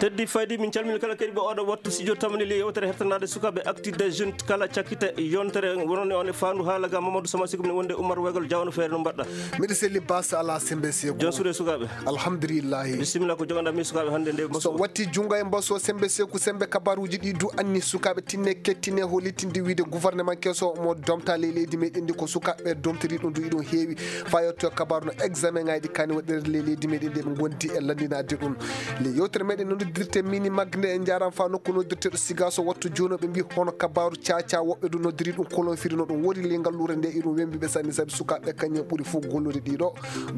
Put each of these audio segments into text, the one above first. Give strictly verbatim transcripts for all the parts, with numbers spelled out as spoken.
Teddy Faydi, min calmini kala keɗiiɓe oɗo wattu studio tamani le yewtere hertanaade sukaaɓe Actu des Jeunes kala cakkite yontere. Wonande on e faandu haala ga Mamadou Sama Sikum ne wonde Oumar Wegal Diawno Feere, no mbaɗɗa? Miɗo selli bas ala sembe seku. Jon suuɗe sukaaɓe. Alhamdulillahi. Bisimilla, ko joganɗa mi sukaaɓe hannde nde so mbaso. Watti junngo e mbaso sembe seku, sembe kabaruuji ɗi du anni sukaaɓe tinne kettine holitinde wiide gouvernement keso mo domta ley leydi meɗen ndi ko sukaaɓe domtori ɗum du iɗum heewi. Fayotto kabaru no examen ngaji kani waɗirde ley leydi meɗen ndi ɓe gondi e landinade ɗum. Le yewtere meɗen no noddirte mini magnde e jaram fa nokku noddirteɗo siga so wattu jono ɓe mbi hono kabaru caca woɓɓe du noddiri ɗum kolon firi no ɗum wori le ngallure nde iɗum wembi ɓe sanni sabi sukaaɓe kañum ɓuri fof gollude ɗiɗo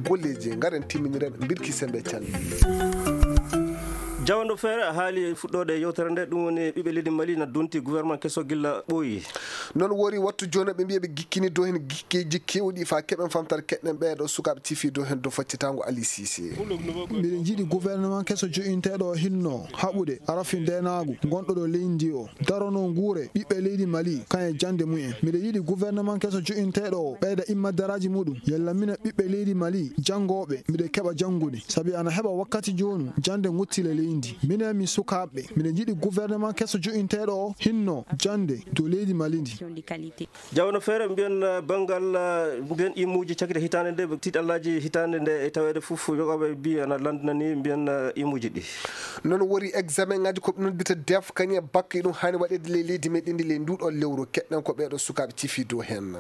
golleji. Ngaren timminiren birki sembe calli. Jawando Feere haali fuɗɗoode yewtere nde, ɗum woni ɓiɓɓe leydi Mali na donti gouvernement keso gilla ɓooyi. Noon wori wattu jooni ɓe mbiya ɓe gikkini dow heen gikkeeji keewɗi fa keɓen famtare keɗɗen ɓeeɗo sukaaɓe cifi dow heen dow faccitango Ali Cissé. Miɗen njiɗi gouvernement keso joƴinteeɗo hinno haɓude arafin ndenaagu gonɗo ɗo leydi ndi o darono nguure ɓiɓɓe leydi Mali kan e jannde mumen. Miɗo yiɗi gouvernement keso joƴinteeɗo o ɓeyda immaddaraaji muɗum yalla mina ɓiɓɓe leydi Mali janngooɓe miɗo keɓa janngude sabi ana heɓa wakkati jooni jannde ngottile leydi. Minen mi sukaaɓe miɗo yiɗi gouvernement keso joƴinteeɗo o hinno jannde dow leydi Mali ndi. Jawno Feere mbiyen, uh, banngal, uh, mbiyen imuuji cakite hitaande nde, tiiɗallaaji hitaande nde e taweede fof yogaaɓe mbi ana lanndinani mbiyen, uh, imuuji ɗi. Noon wori examen ngaji ko ɓe noddirta def kañum e bakke ɗum haani waɗeede ley leydi meɗen ndi ley nduɗo lewru keɗɗen ko ɓeeɗo sukaaɓe cifi dow heen.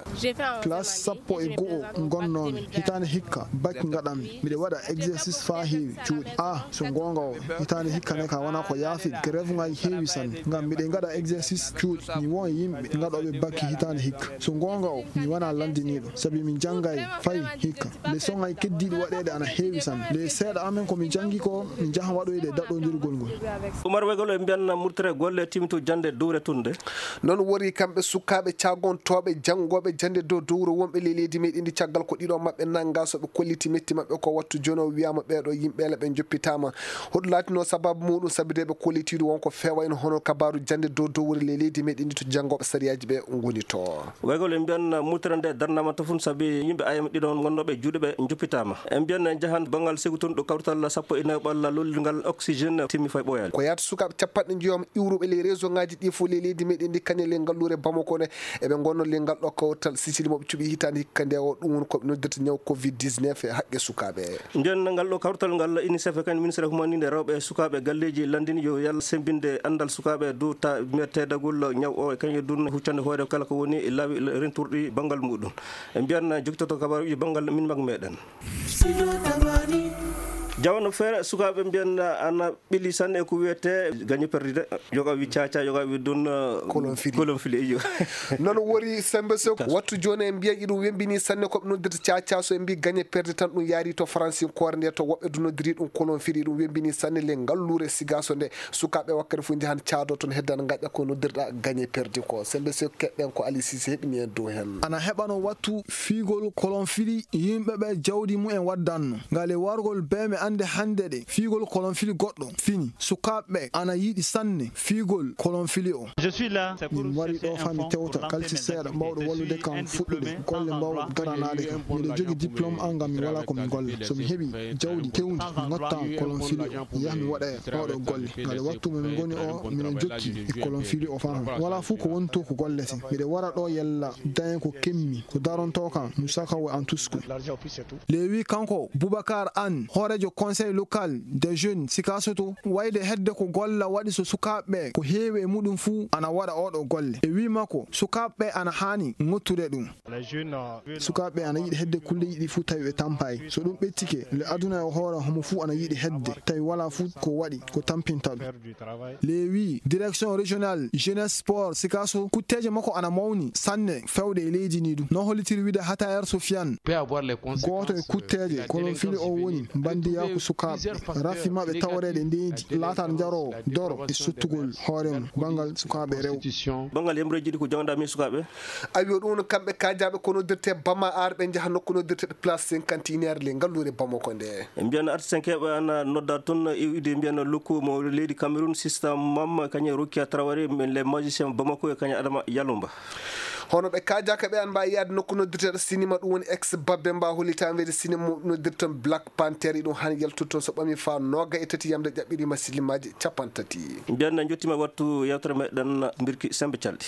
Classe sappo e go'o ngonnoomi hitaande hikka bak ngaɗanmi. Miɗo waɗa exercice faa heewi cuuɗi. Ah, so goonga o, hitaande hikka ne ka wonaa ko yaafi. Grève ngaji heewi sanne. Ngam miɗo ngaɗa exercice cuuɗi. Mi won yimɓe ngaɗooɓe bak hitaande hikka. So goonga o, mi wonaa lanndiniiɗo. Sabi mi janngay fay hikka. Leçon ngaji keddiiɗi waɗeede ana heewi sanne. Le seeɗa amen ko mi janngi ko, mi jaha waɗoyde daɗɗondirgol ngol. Umar Wegol e mbiyan murtere golle timtu jannde duure tunde. Noon wori kamɓe sukaaɓe caagontooɓe janngooɓe jannde dow dowro wonɓe ley leydi meɗen ndi caggal ko ɗiɗo maɓɓe nannga so ɓe kolliti metti maɓɓe ko wattu jono wiyama ɓeeɗo yimɓeele ɓe joppitama. Hoɗum laatino sababu muɗum sabi de ɓe kollitiiɗo won ko fewayno hono kabaru jannde dow dowri ley leydi meɗen ndi to janngooɓe sariyaaji ɓe ngoni to. Wegol en mbiyan murtere nde darnama to fun sabi yimɓe ayam ɗiɗo won gonnooɓe juuɗe ɓe joppitama. En mbiyan en jahan banngal sigu tun ɗo kawrital sappo e nayo ɓalla lollirngal oxygène timmi fay ɓooyaali. Ko yaata sukaaɓe capanɗe njoyom iwruɓe ley réseau ngaji ɗi fof ley leydi meɗen ndi kañe ley ngalluure Bamako nde. Eɓe ngonno ley ngal ɗo kawtal Sicili mo ɓe cuɓi hitaande hikka nde o, ɗum woni ko ɓe noddirta ñaw covid dix-neuf e haqqe sukaaɓe. Nden ngal ɗo kawtal ngal UNICEF e kañum ministre humaninde rewɓe e sukaaɓe galleeji lanndini yo yalla semmbinde anndal sukaaɓe dow ta teedagol ñaw o e kañum e dun huccande hoore kala ko woni laawi renturɗi banngal muɗum. E mbiyan jokitoto kabaruji banngal min mag meɗen. Jawano Feere sukaaɓe mbiyan ana ɓili sanne e ko wiyete gagne perdu de. Yoga wi caca, yoga wi dun, uh, kolon fili. Kolon fili, iyo. Noon wori sembe so wattu jooni en mbiya iɗum wembini sanne ko ɓe noddirta caca so en mbi gagne perdu tan ɗum yaari to Faransi koore nde to woɓɓe du noddiri ɗum kolon fili ɗum wembini sanne le ngalluure sigaso nde sukaaɓe wakkati fof njahan caado toon heddan gaƴa ko noddirɗa gagne perdu ko. Sembe so keɗɗen ko Ali Cissé heɓini en dow heen. Ana heɓano wattu fiigol kolon fili yimɓe ɓe jawdi mumen waddanno. Ngale wargol be mi ande hande ɗe fiigol kolon fili goɗɗo fini. Sukaaɓe ana yiɗi sanne fiigol kolon fili o. Min wari ɗo fa mi tewta kalti seeɗa mbawɗo wallude kam fuɗɗude golle mbawɗe daranaade kam. Miɗo jogi diplôme an ngam mi wala ko mi golla. So mi heɓi jawdi kewndi mi ngotta kolon fili o. Mi yaha mi waɗa oɗo golle. Ngale wattu mo mi ngoni o miɗo jokki e kolon fili o fa. Wala fuu ko woni to ko gollete. Miɗo wara ɗo yalla dañe ko kemmi ko daronto kam mi sakawo an tusku. Lewi kanko Boubacar Anne, hooreejo Conseil local des jeunes Sikasoto, wayde hedde ko golla waɗi so sukaaɓe ɓe ko heewi e muɗum fuu ana waɗa oɗo golle. E wii makko, sukaaɓe ɓe ana haani ŋottude ɗum. Sukaaɓe ɓe ana yiɗi hedde kulleeji ɗi fuu tawi ɓe tampaay. So ɗum ɓettike, le aduna e hoore homo fuu ana yiɗi hedde, tawi walaa fuu ko waɗi ko tampinta ɗum. Lewi, direction régionale jeunesse sport Sikaso, kutteeje makko ana mawni sanne fewde e leydi ndi ɗum. No hollitiri wiide Hatayer Sofiane. Gooto e kutteeje kolon fili o woni mbandiyaaku sukaaɓe, rafi maɓɓe taworeeɗe ndeedi, laatat njaroowo, doro e sottugol hoore mum banngal sukaaɓe rewɓe. Banngal yamreeji ɗi ko jawnda mi sukaaɓe. Awi o ɗum no kamɓe kaajaaɓe ko noddirte Bama Ar ɓe njaha nokku noddirte place cinquante et un le ngalluure Bamako nde. E mbiyan artisan keɓe ana nodda toon e ide mbiyan lokku mo leydi Cameroun système mam kañe Rokia Traoré les magiciens Bamako e kañe Adama Yalumba. Hono ɓe kaajaaka ɓe an mbawi yaade nokku noddirteeɗo sinima, ɗum woni ex babbe mba hollita weede sinima mum noddirton Black Panther, iɗum han yaltude toon so ɓami fa nooga e tati yamde ƴaɓɓirima sillimaaji capanɗe tati. Mbiyan na jottima wattu yewtere meɗen mbirki sembe calɗi.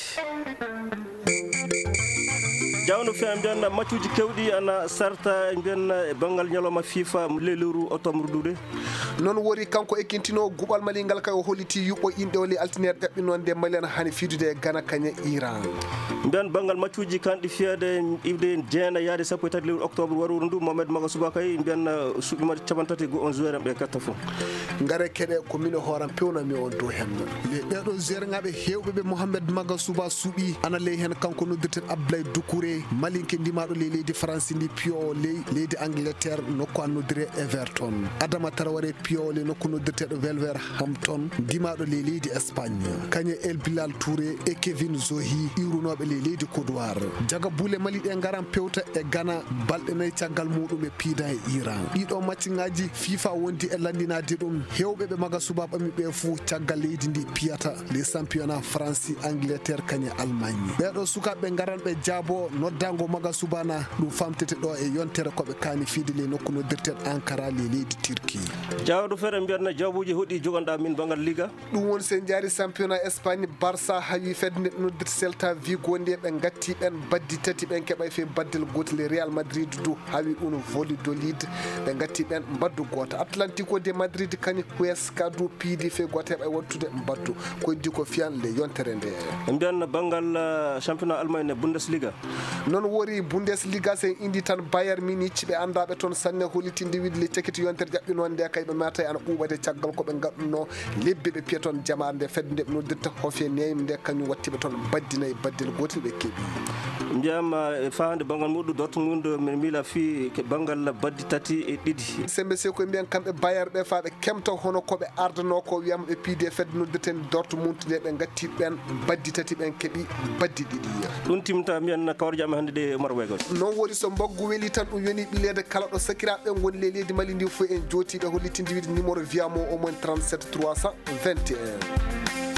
Jawno fiya mbiyan na maccuji kewɗi ana sarta mbiyan na e banngal ñalawma fifa le lewru octobre duude. Noon wori kanko e kintino guɓal mali ngal kay o holliti yuɓɓo inɗe o le altineer ƴaɓɓinonde mali ana hani fidude e gana kañe iran. Mbiyan banngal maccuji kanɗi fiyade iwde jeena yaade sappo e tati lewru octobre waroru ndu mohamed maga suba kay mbiyan suɓima capanɗe tati go on joueur en ɓe katta fof. Ngare keɗe ko min e hooram pewnami on dow hen. Le ɓeɗo joueur ngaɓe hewɓe ɓe mohamed maga suba suɓi ana ley hen kanko noddirten abdoulaye doukouré malinke ndimaɗo ley leydi faransi ndi piyo o ley leydi angleterre nokku an noddire everton. Adama taraware piyo o ley nokku noddirteɗo welwer hampton ndimaɗo ley leydi espagne. Kañe el bilal touré e kevin zohi iwrunoɓe ley leydi kodowar. Jaga buule mali ɗe ngaran pewta e gana balɗe nayi caggal muɗum e piida e iran ɗiɗo macci ngaji fifa wondi e landinade ɗum. Hewɓe ɓe maga suba ɓami ɓe fuu caggal leydi ndi piyata les championnat franci angleterre kañe allemagne. Ɓeɗo sukaɓe ngaran ɓe jaabo noddango maga subana ɗum famtete ɗo e yontere koɓe kaani fiide ley nokku noddirten ankara ley leydi turki. Jawdo fere mbiyatna jawbuji hoɗi jogonɗa min bangal liga. Ɗum woni so en jaari championnat espagne barça hawi fedde nde noddirte celta vigo nde ɓe gatti ɓen baddi tati ɓen keɓay fe baddel gotel real madrid du hawi ɗum volidolid. Ɓe gatti ɓen mbaddu goto atlantico de madrid kañum huesca du piidi fe goto heɓay wattude mbaddu. Koydi ko fiyan le yontere nde. Mbiyan banngal championnat allemagne bundesliga. Noon wori bundesliga so en indi tan bayer munich ɓe anndaɓe toon sanne hollitinde wiide le cakiti yontere ƴaɓɓinoo nde kay ɓe mata ana ɓuuɓade caggal ko ɓe ngaɗunoo lebbi ɓe piya toon jamaare nde fedde nde ɓe noddirta hofe neyim nde kañum wattiɓe toon baddinayi baddel gotel ɓe keeɓi. Mbiyam e fahande banngal muɗum dortmund min miila fii banngal baddi tati e ɗiɗi. Sembe se koye mbiyan kamɓe bayer ɓe fa ɓe kemta hono ko ɓe ardanoo ko wiyama ɓe piide fedde noddirten dortmund nde ɓe gatti ɓen baddi tati ɓen keɓi baddi ɗiɗi. Ɗum timta mbiyan kawar jam hannde ɗe umar wegos. Noon woni so mbaggu weli tan ɗum yoni ɓileede kala ɗo sakiraaɓe ɓen ngoni ley leydi mali ndi fof en jootiiɓe hollitinde wiide numéro wiyamo omon trente-sept trois cent vingt et un.